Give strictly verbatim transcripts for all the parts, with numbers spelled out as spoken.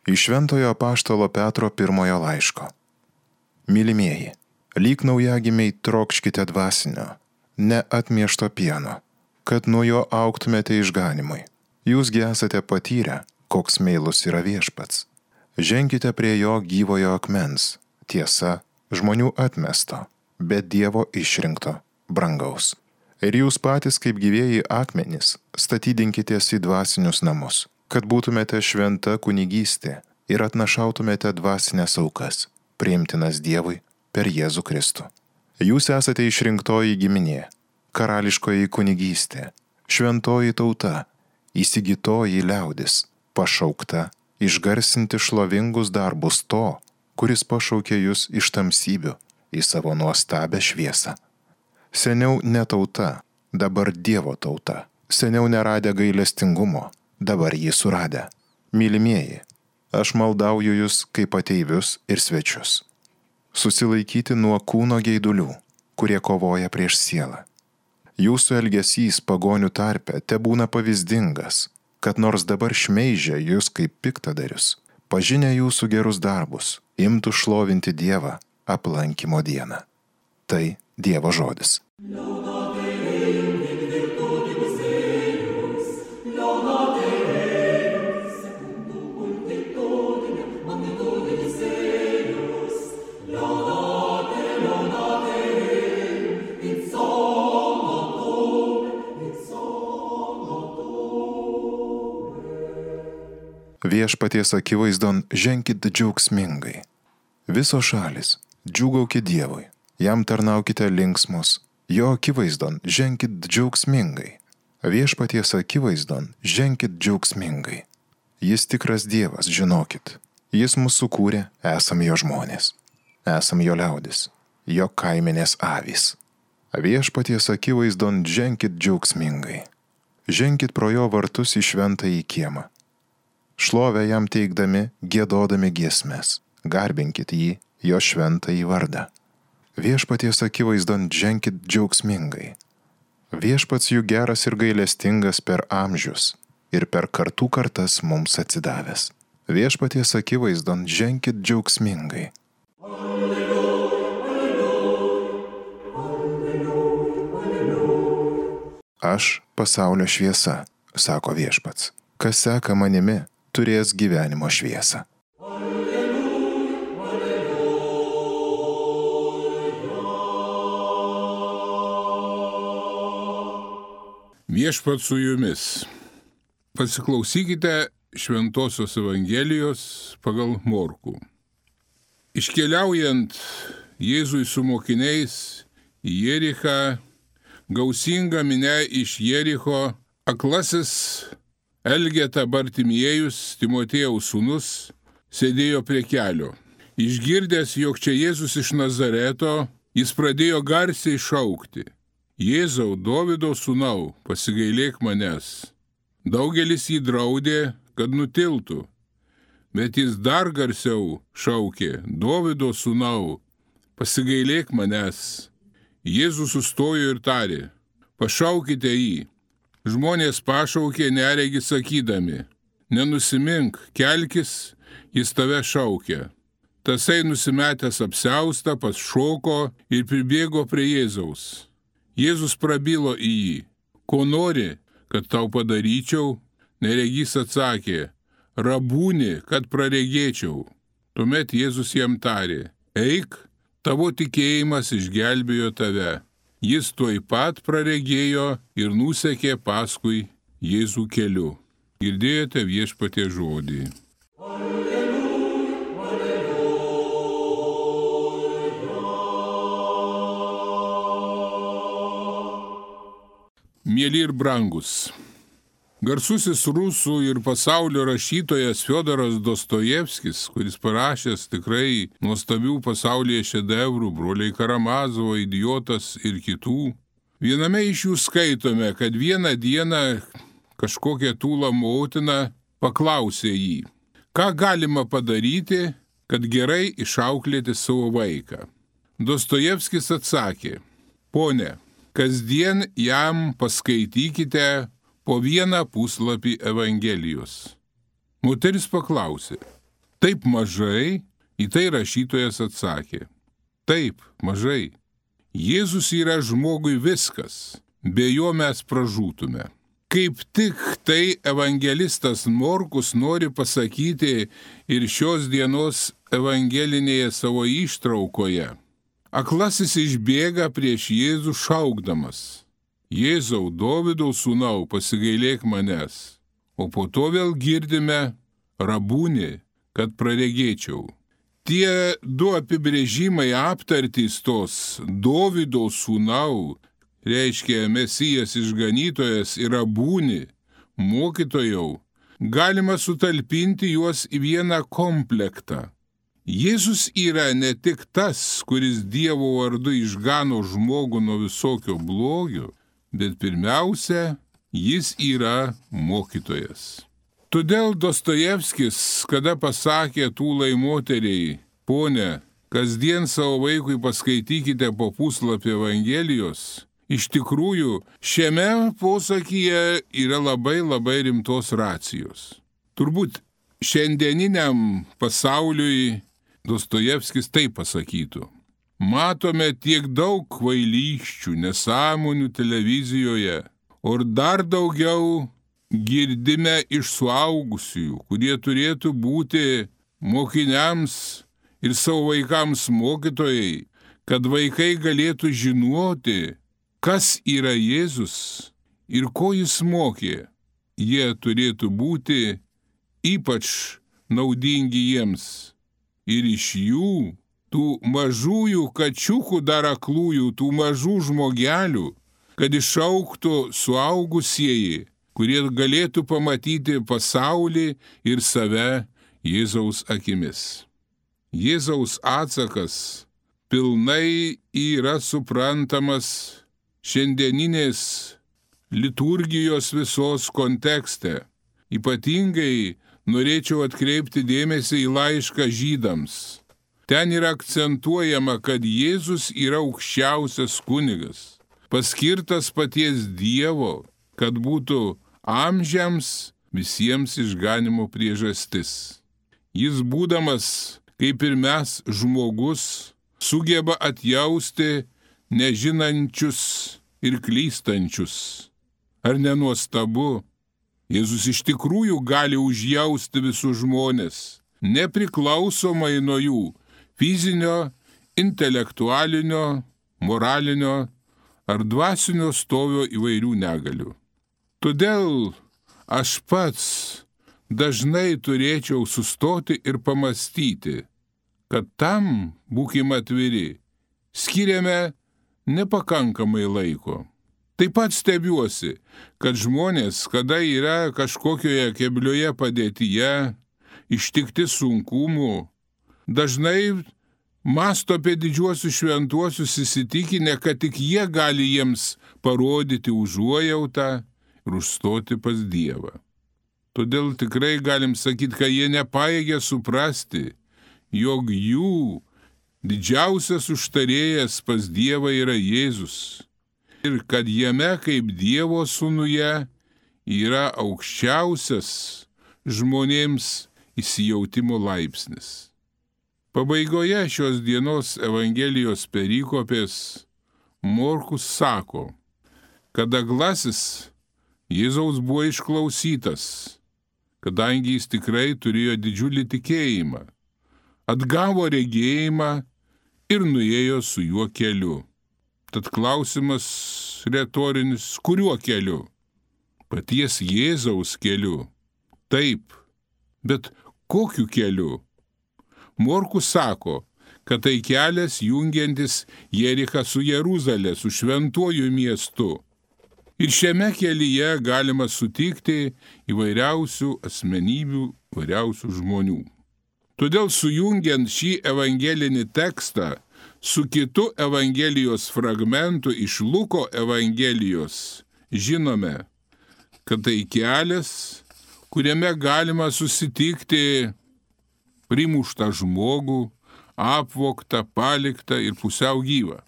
Iš Šventojo apaštalo Petro pirmojo laiško. Mylimieji, lyg naujagimiai trokškite dvasinio, ne atmiešto pieno, kad nuo jo augtumėte išganimui. Jūsgi esate patyrę, koks meilus yra viešpats. Ženkite prie jo gyvojo akmens, tiesa, žmonių atmesto, bet Dievo išrinkto, brangaus. Ir jūs patys kaip gyvieji akmenys statydinkitės į dvasinius namus, kad būtumėte šventa kunigystė ir atnašautumėte dvasinės aukas, priimtinas Dievui per Jėzų Kristų. Jūs esate išrinktoji giminė, karališkoji kunigystė, šventoji tauta, įsigytoji liaudis, pašaukta išgarsinti šlovingus darbus to, kuris pašaukė jūs iš tamsybių į savo nuostabią šviesą. Seniau ne tauta, dabar Dievo tauta, seniau neradę gailestingumo, dabar jį suradę. Mylimieji, aš maldauju jūs kaip ateivius ir svečius. Susilaikyti nuo kūno geidulių, kurie kovoja prieš sielą. Jūsų elgesys pagonių tarpe tebūna pavyzdingas, kad nors dabar šmeižia jūs kaip piktadarius, pažinę jūsų gerus darbus, imtų šlovinti Dievą aplankymo dieną. Tai Dievo žodis. Viešpaties akivaizdon ženkit džiaugsmingai. Visos šalis, džiūgaukit Dievui, jam tarnaukite linksmos, jo akivaizdon ženkit džiaugsmingai. Viešpaties akivaizdon ženkit džiaugsmingai. Jis tikras Dievas, žinokit. Jis mus sukūrė, esam jo žmonės, esam jo liaudis, jo kaimenės avys. Viešpaties akivaizdon ženkit džiaugsmingai. Ženkit pro jo vartus į šventąjį kiemą. Šlovę jam teikdami, giedodami giesmes, garbinkit jį, jo šventąjį vardą. Viešpaties akivaizdon ženkit džiaugsmingai. Viešpats jų geras ir gailestingas per amžius ir per kartų kartas mums atsidavęs. Viešpaties akivaizdon ženkit džiaugsmingai. Aš pasaulio šviesa, sako viešpats. Kas seka manimi, turės gyvenimo šviesą. Viešpats su jumis. Pasiklausykite Šventosios Evangelijos pagal Morkų. Iškeliaujant Jėzui su mokiniais į Jerichą, gausinga minia iš Jericho, aklasis Elgeta Bartimiejus, Timotiejaus sūnus, sėdėjo prie kelio. Išgirdęs, jog čia Jėzus iš Nazareto, jis pradėjo garsiai šaukti: Jėzau, Dovydo sūnau, pasigailėk manęs. Daugelis jį draudė, kad nutiltų, bet jis dar garsiau šaukė: Dovydo sūnau, pasigailėk manęs. Jėzus sustojo ir tarė: pašaukite jį. Žmonės pašaukė neregį sakydami: nenusimink, kelkis, jis tave šaukia. Tasai nusimetęs apsiaustą pašoko ir pribėgo prie Jėzaus. Jėzus prabilo į jį: ko nori, kad tau padaryčiau? Neregys atsakė: rabūni, kad praregėčiau. Tuomet Jėzus jam tarė: eik, tavo tikėjimas išgelbėjo tave. Jis tuoj pat praregėjo ir nusekė paskui Jėzų keliu. Girdėjote Viešpaties žodį. Alleluja, alleluja. Mieli ir brangus, garsusis rusų ir pasaulio rašytojas Fiodoras Dostojevskis, kuris parašęs tikrai nuostabių pasaulyje šedevrų, Broliai Karamazovo, Idiotas ir kitų, viename iš jų skaitome, kad vieną dieną kažkokia tūla motina paklausė jį: ką galima padaryti, kad gerai išauklėti savo vaiką? Dostojevskis atsakė: pone, kasdien jam paskaitykite po vieną puslapį Evangelijos. Moteris paklausė: Taip mažai, į tai rašytojas atsakė. Taip, mažai. Jėzus yra žmogui viskas, be jo mes pražūtume. Kaip tik tai evangelistas Morkus nori pasakyti ir šios dienos evangelinėje savo ištraukoje. Aklasis išbėga prieš Jėzų šaukdamas: Jėzau, Dovydo sūnau, pasigailėk manęs. O po to vėl girdime: Rabūni, kad praregėčiau. Tie du apibrėžimai aptartys tos Dovydo sūnau, reiškia Mesijas išganytojas, ir Rabūni, mokytojau, galima sutalpinti juos į vieną komplektą. Jėzus yra ne tik tas, kuris Dievo vardu išgano žmogų nuo visokio blogio, bet pirmiausia, jis yra mokytojas. Todėl Dostojevskis, kada pasakė tūlai moteriai: Pone, kasdien savo vaikui paskaitykite po puslapį Evangelijos, iš tikrųjų, šiame posakyje yra labai labai rimtos racijos. Turbūt šiandieniniam pasauliui Dostojevskis taip pasakytų: matome tiek daug kvailysčių, nesąmonių televizijoje, o dar daugiau girdime iš suaugusiųjų, kurie turėtų būti mokiniams ir savo vaikams mokytojai, kad vaikai galėtų žinoti, kas yra Jėzus ir ko jis mokė. Jie turėtų būti ypač naudingi jiems. Ir iš jų, tų mažųjų kačiukų dar aklųjų, tų mažų žmogelių, kad išaugtų suaugusieji, kurie galėtų pamatyti pasaulį ir save Jėzaus akimis. Jėzaus atsakas pilnai yra suprantamas šiandieninės liturgijos visos kontekste. Ypatingai norėčiau atkreipti dėmesį į laišką Žydams. Ten yra akcentuojama, kad Jėzus yra aukščiausias kunigas, paskirtas paties Dievo, kad būtų amžiams visiems išganimo priežastis. Jis, būdamas, kaip ir mes, žmogus, sugeba atjausti nežinančius ir klystančius. Ar nenuostabu? Jėzus iš tikrųjų gali užjausti visus žmones, nepriklausomai nuo jų fizinio, intelektualinio, moralinio ar dvasinio stovio įvairių negalių. Todėl aš pats dažnai turėčiau sustoti ir pamastyti, kad tam, būkime atviri, skiriame nepakankamai laiko. Taip pat stebiuosi, kad žmonės, kada yra kažkokioje keblioje padėtyje, ištikti sunkumų, dažnai mąsto apie didžiuosius šventuosius, įsitikinę, kad tik jie gali jiems parodyti užuojautą ir užstoti pas Dievą. Todėl tikrai galim sakyti, kad jie nepajėgia suprasti, jog jų didžiausias užtarėjas pas Dievą yra Jėzus. Ir kad jame kaip Dievo sūnuje yra aukščiausias žmonėms įsijautimo laipsnis. Pabaigoje šios dienos Evangelijos perikopės Morkus sako, kad aglasis Jėzaus buvo išklausytas, kadangi jis tikrai turėjo didžiulį tikėjimą, atgavo regėjimą ir nuėjo su juo keliu. Tad klausimas retorinis: kuriuo keliu? Paties Jėzaus keliu. Taip, bet kokiu keliu? Morkus sako, kad tai kelias jungiantis Jerichą su Jeruzalė, su šventuoju miestu. Ir šiame kelyje galima sutikti įvairiausių asmenybių, įvairiausių žmonių. Todėl sujungiant šį evangelinį tekstą su kitu Evangelijos fragmentu iš Luko Evangelijos, žinome, kad tai kelias, kuriame galima susitikti primuštą žmogų, apvogtą, paliktą ir pusiau gyvą.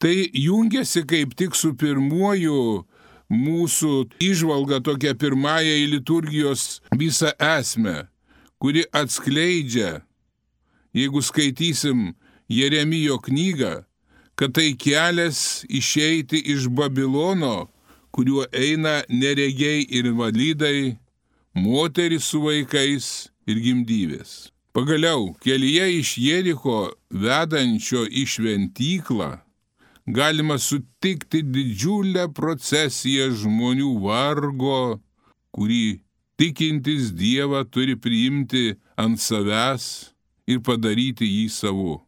Tai jungiasi kaip tik su pirmuoju mūsų įžvalga, tokia pirmąja į liturgijos visą esmę, kuri atskleidžia, jeigu skaitysim Jeremijo knygą, kad tai kelias išeiti iš Babilono, kuriuo eina neregiai ir invalidai, moterys su vaikais ir gimdyvės. Pagaliau, kelyje iš Jericho vedančio į šventyklą galima sutikti didžiulę procesiją žmonių vargo, kurį tikintis Dievą turi priimti ant savęs ir padaryti jį savu.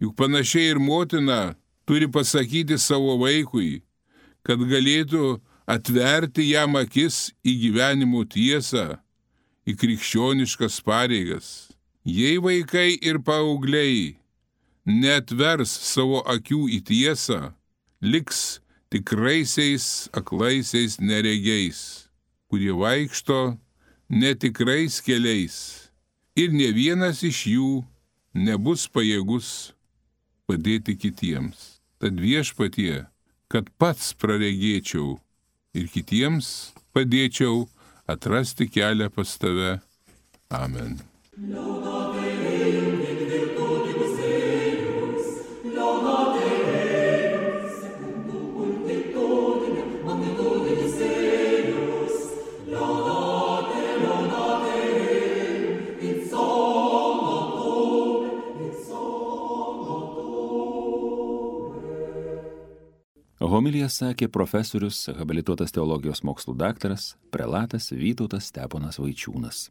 Juk panašiai ir motina turi pasakyti savo vaikui, kad galėtų atverti jam akis į gyvenimo tiesą, į krikščioniškas pareigas. Jei vaikai ir paaugliai neatvers savo akių į tiesą, liks tikraisiais aklaisiais neregiais, kurie vaikšto netikrais keliais ir ne vienas iš jų nebus pajėgus padėti kitiems. Tad Viešpatie, kad pats praregėčiau ir kitiems padėčiau atrasti kelią pas tave. Amen. Homiliją sakė profesorius, habilituotas teologijos mokslų daktaras, prelatas Vytautas Steponas Vaičiūnas.